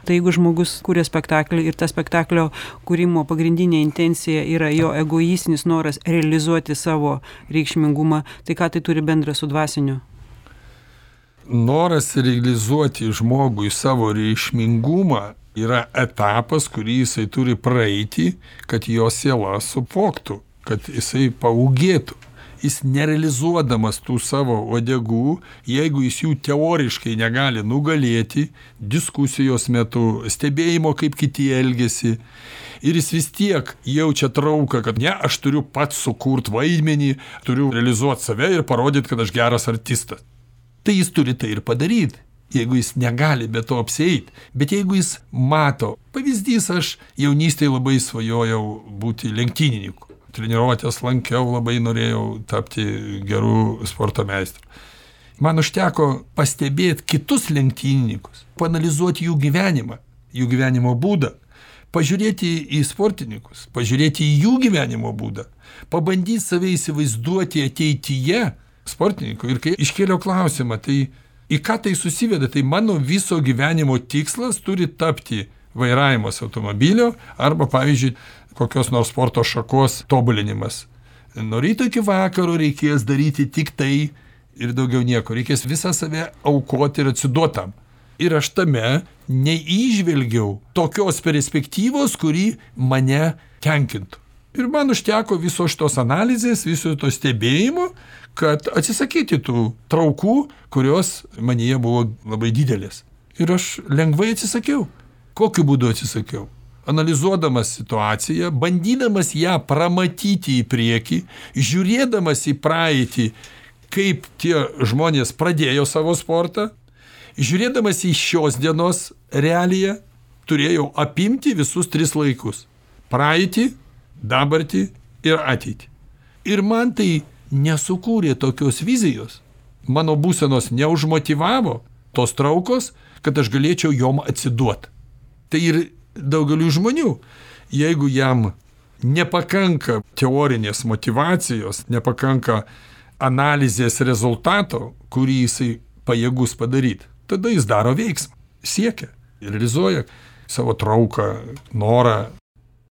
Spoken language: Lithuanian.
Tai jeigu žmogus kuria spektaklį ir ta spektaklio kūrimo pagrindinė intencija yra jo egoistinis noras realizuoti savo reikšmingumą, tai ką tai turi bendra su dvasiniu? Noras realizuoti žmogui savo reikšmingumą yra etapas, kurį jisai turi praeiti, kad jo siela supoktų, kad jisai paūgėtų. Jis nerealizuodamas tų savo uodegų, jeigu jis jų teoriškai negali nugalėti, diskusijos metu, stebėjimo, kaip kiti elgiasi, ir jis vis tiek jaučia trauką, kad ne, aš turiu pats sukurt vaidmenį, turiu realizuoti save ir parodyti, kad aš geras artistas. Tai jis turi tai ir padaryti, jeigu jis negali be to apsieiti. Bet jeigu jis mato, pavyzdys, aš jaunystėje labai svajojau būti lenktynininku. Treniruotės lankiau, labai norėjau tapti gerų sporto meistru. Man užteko pastebėti kitus lenktynininkus, paanalizuoti jų gyvenimą, jų gyvenimo būdą, pažiūrėti į sportininkus, pažiūrėti į jų gyvenimo būdą, pabandyti save įsivaizduoti ateityje sportininkų. Ir kai iškėliau klausimą, tai į ką tai susiveda, tai mano viso gyvenimo tikslas turi tapti vairavimas automobilio arba, pavyzdžiui, kokios nors sporto šakos tobulinimas. Nuo ryto iki vakaro reikės daryti tik tai ir daugiau nieko. Reikės visą save aukoti ir atsiduotam. Ir aš tame neįžvelgiau tokios perspektyvos, kuri mane tenkintų. Ir man užteko viso šitos analizės, viso to stebėjimo, kad atsisakyti tų traukų, kurios manyje buvo labai didelės. Ir aš lengvai atsisakiau. Kokiu būdu atsisakiau? Analizuodamas situaciją, bandydamas ją pramatyti į priekį, žiūrėdamas į praeitį, kaip tie žmonės pradėjo savo sportą, žiūrėdamas į šios dienos realiją, turėjau apimti visus 3 laikus – praeitį, dabartį ir ateitį. Ir man tai nesukūrė tokios vizijos, mano būsenos neužmotyvavo tos traukos, kad aš galėčiau jom atsiduoti. Tai ir daugeliu žmonių, jeigu jam nepakanka teorinės motyvacijos, nepakanka analizės rezultato, kurį jisai pajėgus padaryti, tada jis daro veiksmą, siekia, realizuoja savo trauką, norą,